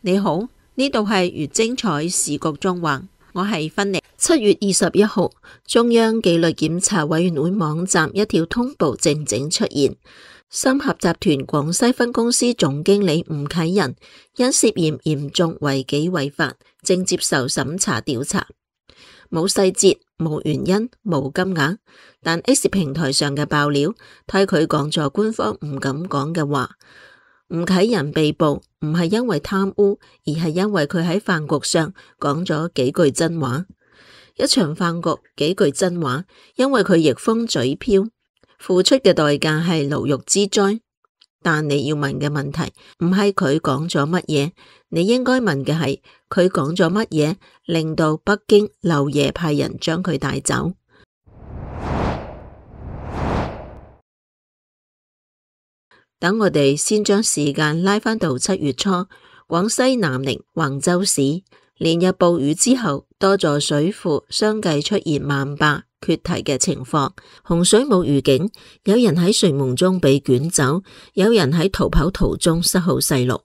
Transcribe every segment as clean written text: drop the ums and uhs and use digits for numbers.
你好，呢度係粵精彩時局縱橫，我係芬妮。7月21號，中央紀律檢查委員會網站一條通報靜靜出現，三峽集團廣西分公司總經理吳啟仁因涉嫌嚴重違紀違法，正接受審查調查。冇細節，冇原因，冇金額，但 X 平台上嘅爆料替佢講咗官方唔敢講嘅話。吳啟仁被捕唔係因為貪污，而係因為佢喺飯局上講咗幾句真話。一場飯局幾句真話，因為佢逆風嘴飄，付出嘅代價係牢獄之災。但你要問嘅問題唔係佢講咗乜嘢，你應該問嘅係佢講咗乜嘢令到北京漏夜派人將佢帶走。等我哋先將時間拉返到7月初，廣西南寧橫州市連日暴雨之後，多座水庫相繼出現漫壩決堤嘅情況，洪水冇預警，有人喺睡夢中被捲走，有人喺逃跑途中失去細路。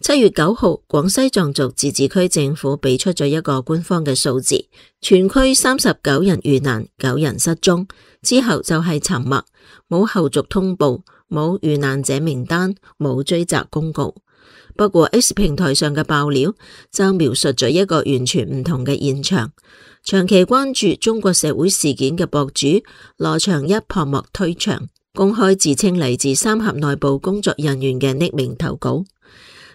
7月9號，廣西壯族自治區政府俾出咗一個官方嘅數字，全區39人遇難，9人失蹤，之後就係沉默，冇後續通報，冇遇難者名單，冇追責公告。不過 X 平台上嘅爆料就描述咗一個完全唔同嘅現場。長期關注中國社會事件嘅博主羅長一破幕推牆，公開自稱嚟自三峽內部工作人員嘅匿名投稿。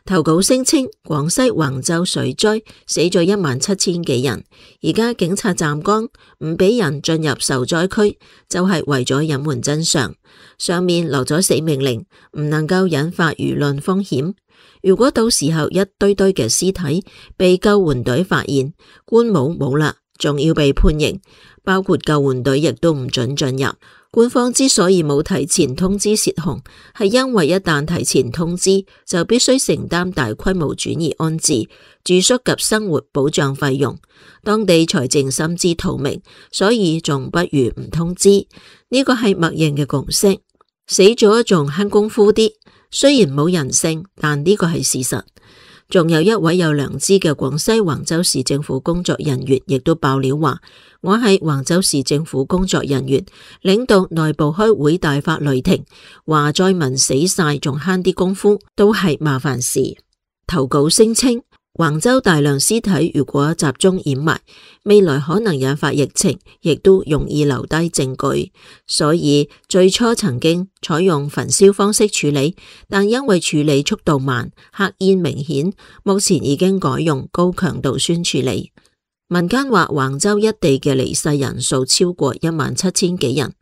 投稿聲稱廣西橫州水災死咗17000幾人，而家警察站崗唔俾人進入受災區，就係為咗隱瞞真相。上面落咗死命令，唔能夠引發輿論風險。如果到時候一堆堆嘅屍體被救援隊發現，官帽冇啦，仲要被判刑，包括救援隊亦都唔准進入。官方之所以冇提前通知洩洪，係因為一旦提前通知，就必須承擔大規模轉移安置、住宿及生活保障費用，當地財政心知肚明，所以仲不如唔通知。呢個係默認嘅共識，死咗仲慳功夫啲，雖然冇人性，但呢個係事實。仲有一位有良知嘅廣西橫州市政府工作人員亦都爆料話，我係橫州市政府工作人員，領導內部開會大發雷霆，話災民死晒仲慳啲功夫，都係麻煩事。投稿聲稱，橫州大量屍體如果集中掩埋，未來可能引發疫情，亦都容易留低證據。所以最初曾經採用焚燒方式處理，但因為處理速度慢、黑煙明顯，目前已經改用高強度酸處理。民間話橫州一地嘅離世人數超過17000幾人，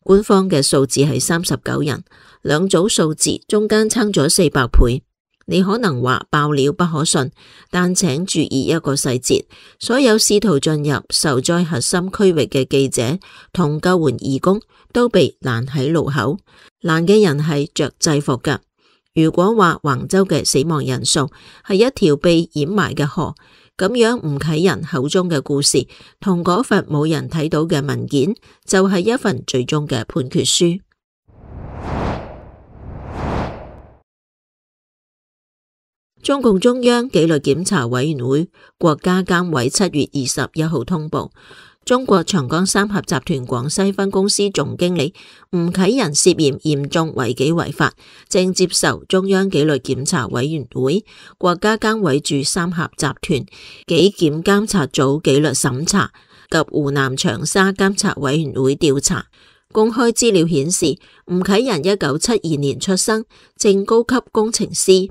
官方嘅數字係39人，兩組數字中間差咗400倍。你可能話爆料不可信，但請注意一個細節，所有試圖進入受災核心區域嘅記者同救援義工都被攔喺路口，攔嘅人係着制服㗎。如果話橫州嘅死亡人數係一條被掩埋嘅河，咁樣吳啟仁口中嘅故事同嗰份冇人睇到嘅文件就係一份最終嘅判決書。中共中央紀律檢查委員會國家監委7月21號通報，中國長江三峽集團廣西分公司總經理吳啟仁涉嫌嚴重違紀違法，正接受中央紀律檢查委員會國家監委駐三峽集團紀檢監察組紀律審查及湖南長沙監察委員會調查。公開資料顯示，吳啟仁1972年出生，正高級工程師。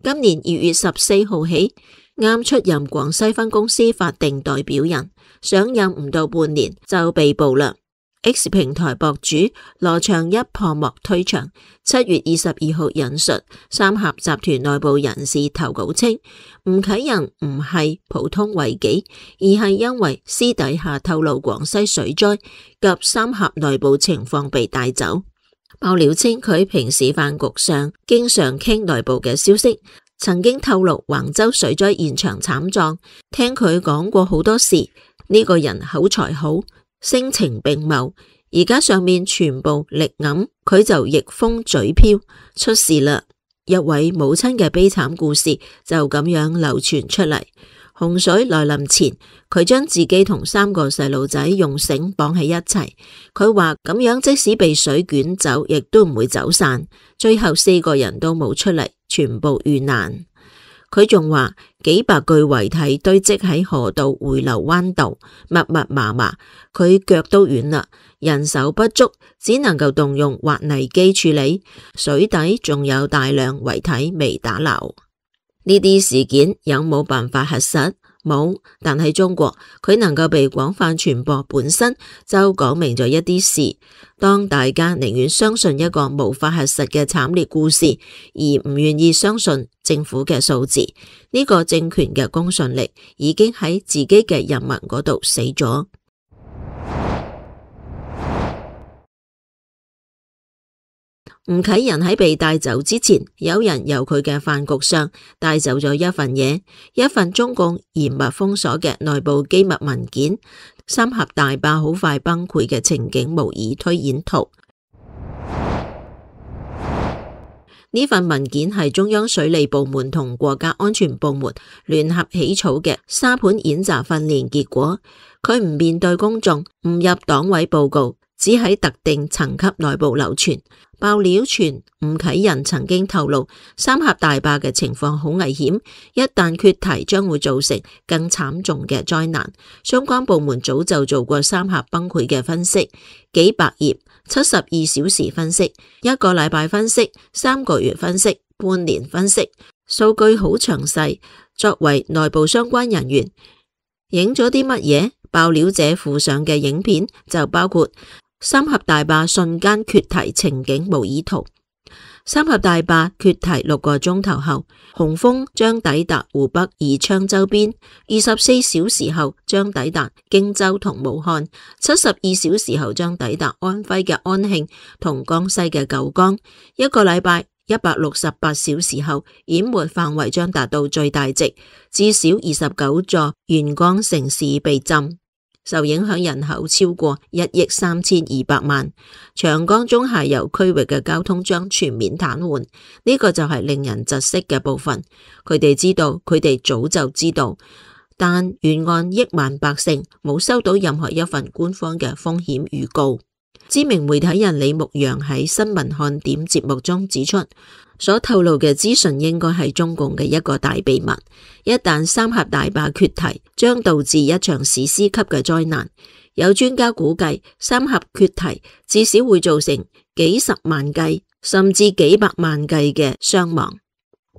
今年2月14號起，啱出任廣西分公司法定代表人，上任唔到半年就被捕啦。X 平台博主羅長一破幕推牆，7月22號引述三峽集團內部人士投稿稱，吳啟仁唔係普通違紀，而係因為私底下透露廣西水災及三峽內部情況被帶走。爆料稱佢平時飯局上經常傾內部嘅消息，曾經透露橫州水災現場慘狀，聽佢講過好多事。呢個人口才好，聲情並茂，而家上面全部力揞，佢就逆風嘴飄，出事啦。一位母親嘅悲慘故事就咁樣流傳出嚟。洪水來臨前，佢將自己同3個細路仔用繩綁喺一齊。佢話咁樣即使被水捲走，亦都唔會走散。最後4個人都冇出嚟，全部遇難。佢仲話幾百具遺體堆積喺河道回流灣道，密密麻麻，佢腳都軟啦，人手不足，只能夠動用挖泥機處理。水底仲有大量遺體未打撈。呢啲事件有冇辦法核實？冇，但係中國佢能夠被廣泛傳播本身就講明咗一啲事。當大家寧願相信一個無法核實嘅慘烈故事，而唔願意相信政府嘅數字，呢個政權嘅公信力已經喺自己嘅人民嗰度死咗。吳啟仁喺被帶走之前，有人由佢嘅飯局上帶走咗一份嘢，一份中共嚴密封鎖嘅內部機密文件——三峽大壩好快崩潰嘅情景模擬推演圖。呢份文件係中央水利部門同國家安全部門聯合起草嘅沙盤演習訓練結果。佢唔面對公眾，唔入黨委報告，只喺特定層級內部流傳。爆料傳吳啟仁曾經透露，三峽大壩嘅情況好危險，一旦決堤將會造成更慘重嘅災難。相關部門早就做過三峽崩潰嘅分析，幾百頁，72小時分析，1個禮拜分析，3個月分析，半年分析，數據好詳細。作為內部相關人員，影咗啲乜嘢？爆料者附上嘅影片就包括三峽大壩瞬間決堤情景模擬圖。三峽大壩決堤6個鐘頭後，洪峰將抵達湖北宜昌周邊；24小時後將抵達荊州同武漢；72小時後將抵達安徽嘅安慶同江西嘅九江；1個禮拜168小時後，淹沒範圍將達到最大值，至少29座沿江城市被浸。受影響人口超過1億3200萬，長江中下游區域嘅交通將全面癱瘓。呢個就係令人窒息嘅部分。佢哋知道，佢哋早就知道，但沿岸億萬百姓冇收到任何一份官方嘅風險預告。知名媒體人李牧陽喺新聞看點節目中指出，所透露嘅資訊應該係中共嘅一個大秘密。一旦三峽大壩決堤，將導致一場史詩級嘅災難。有專家估計，三峽決堤至少會造成幾十萬計甚至幾百萬計嘅傷亡。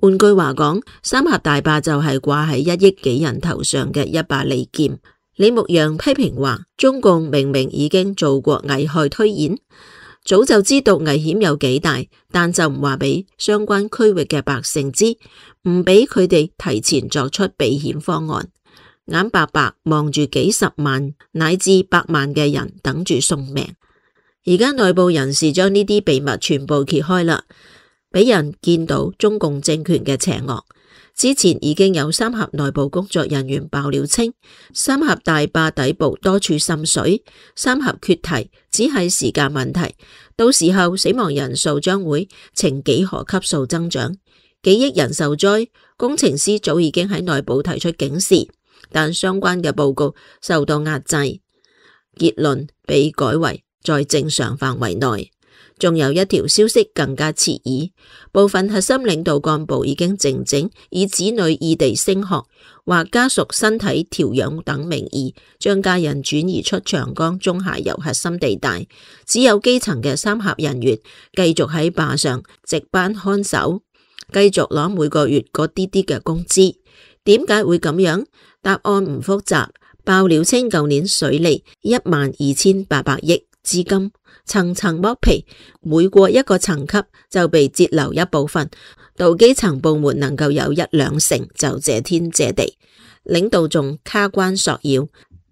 換句話講，三峽大壩就係掛喺1億幾人頭上嘅一把利劍。李牧陽批評話，中共明明已經做過危害推演，早就知道危險有幾大，但就唔話俾相關區域嘅百姓知，唔俾佢哋提前作出避險方案，眼白白望住幾十萬乃至百萬嘅人等住送命。而家內部人士將呢啲秘密全部揭開啦，俾人見到中共政權嘅邪惡。之前已經有三峽內部工作人員爆料稱，三峽大壩底部多處滲水，三峽決堤只係時間問題，到時候死亡人數將會呈幾何級數增長，幾億人受災。工程師早已經喺內部提出警示，但相關嘅報告受到壓制，結論被改為在正常範圍內。仲有一條消息更加刺耳，部分核心領導幹部已經靜靜以子女異地升學或家屬身體調養等名義，將家人轉移出長江中下游核心地帶，只有基層嘅三峽人員繼續喺壩上值班看守，繼續攞每個月嗰啲啲嘅工資。點解會咁樣？答案唔複雜。爆料稱，舊年水利12800億資金層層剝皮，每過一個層級就被截留一部分，到基層部門能夠有1-2成就謝天謝地。領導仲卡關索要，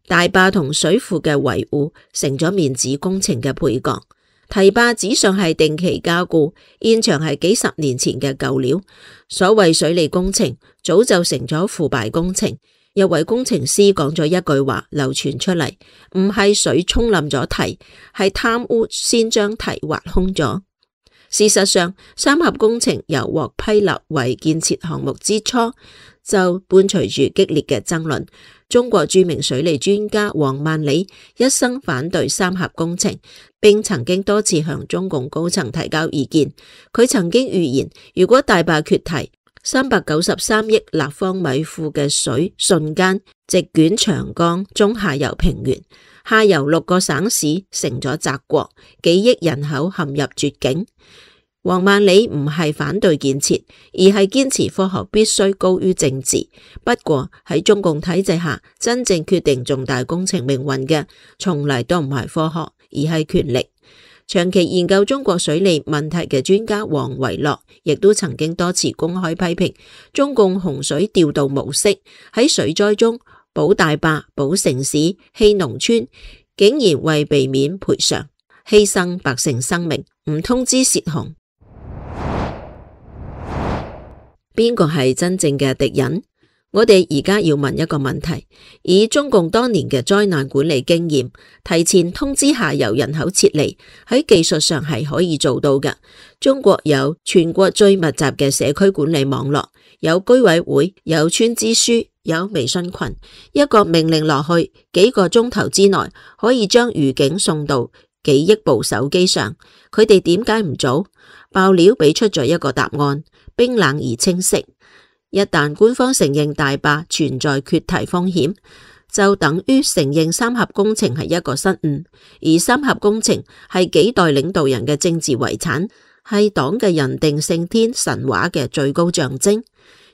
大壩同水庫嘅維護成咗面子工程嘅配角。堤壩紙上係定期加固，現場係幾十年前嘅舊料。所謂水利工程早就成咗腐敗工程。一位工程師講咗一句話流傳出嚟，唔係水沖冧咗堤，係貪污先將堤挖空咗。事實上，三峽工程由獲批立為建設項目之初，就伴隨住激烈嘅爭論。中國著名水利專家王萬里一生反對三峽工程，並曾經多次向中共高層提交意見。佢曾經預言，如果大壩決堤，393億立方米庫嘅水瞬間席捲長江中下游平原，下游6個省市成咗澤國，幾億人口陷入絕境。王萬里唔係反對建設，而係堅持科學必須高於政治。不過喺中共體制下，真正決定重大工程命運嘅，從嚟都唔係科學，而係權力。長期研究中國水利問題嘅專家王維洛，亦都曾經多次公開批評中共洪水調度模式，喺水災中保大壩、保城市、棄農村，竟然為避免賠償，犧牲百姓生命，唔通知洩洪。邊個係真正嘅敵人？我哋而家要問一個問題：以中共多年嘅災難管理經驗，提前通知下游人口撤離，喺技術上係可以做到嘅。中國有全國最密集嘅社區管理網絡，有居委會，有村支書，有微信群，一個命令落去，幾個鐘頭之內可以將預警送到幾億部手機上。佢哋點解唔做？爆料俾出咗一個答案，冰冷而清晰。一旦官方承認大壩存在決堤風險，就等於承認三峽工程係一個失誤，而三峽工程係幾代領導人嘅政治遺產，係黨嘅人定勝天神話嘅最高象徵。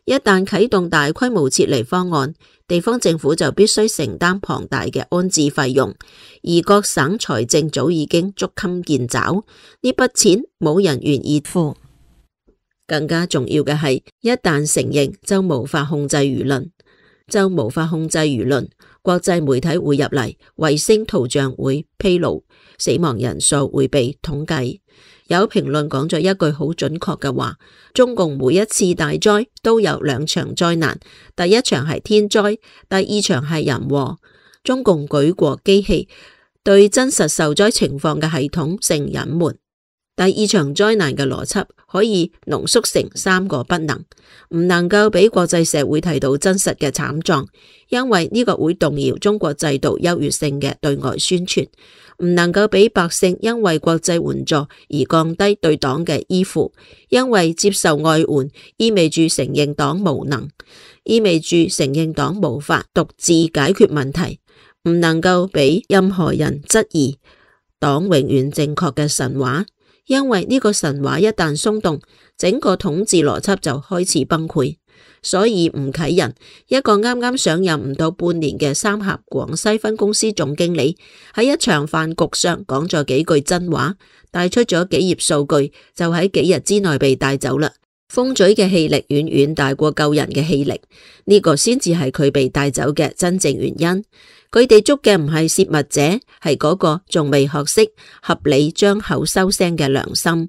一旦啟動大規模撤離方案，地方政府就必須承擔龐大嘅安置費用，而各省財政早已經捉襟見肘，呢筆錢冇人願意付。更加重要嘅係，一旦承認就無法控制輿論，國際媒體會入嚟，衛星圖像會披露，死亡人數會被統計。有評論講咗一句好準確嘅話：中共每一次大災都有2場災難，第一場係天災，第二場係人禍。中共舉國機器對真實受災情況嘅系統性隱瞞。第二場災難嘅邏輯可以濃縮成3個不能：唔能夠俾國際社會睇到真實嘅慘狀，因為呢個會動搖中國制度優越性嘅對外宣傳；唔能夠俾百姓因為國際援助而降低對黨嘅依附，因為接受外援意味住承認黨無能，意味住承認黨無法獨自解決問題；唔能夠俾任何人質疑黨永遠正確嘅神話。因為呢個神話一旦鬆動，整個統治邏輯就開始崩潰。所以吳啟仁，一個啱啱上任唔到半年嘅三峽廣西分公司總經理，喺一場飯局上講咗幾句真話，帶出咗幾頁數據，就喺幾日之內被帶走啦。封嘴嘅氣力遠遠大過救人嘅氣力，呢個先至係佢被帶走嘅真正原因。佢哋捉嘅唔係洩密者，係嗰個仲未學識合理張口收聲嘅良心。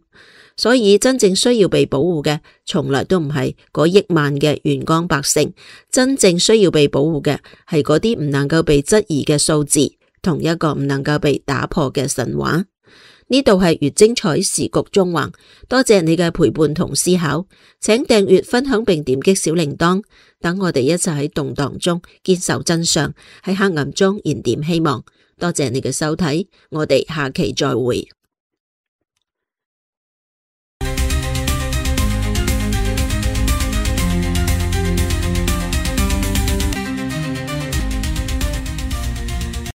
所以真正需要被保護嘅，從來都唔係嗰億萬嘅沿江百姓，真正需要被保護嘅係嗰啲唔能夠被質疑嘅數字，同一個唔能夠被打破嘅神話。呢度係越精彩時局中橫，多謝你嘅陪伴同思考，請訂閱、分享並點擊小鈴鐺，等我哋一齊喺動盪中堅守真相，喺黑暗中燃點希望。多謝你嘅收睇，我哋下期再會。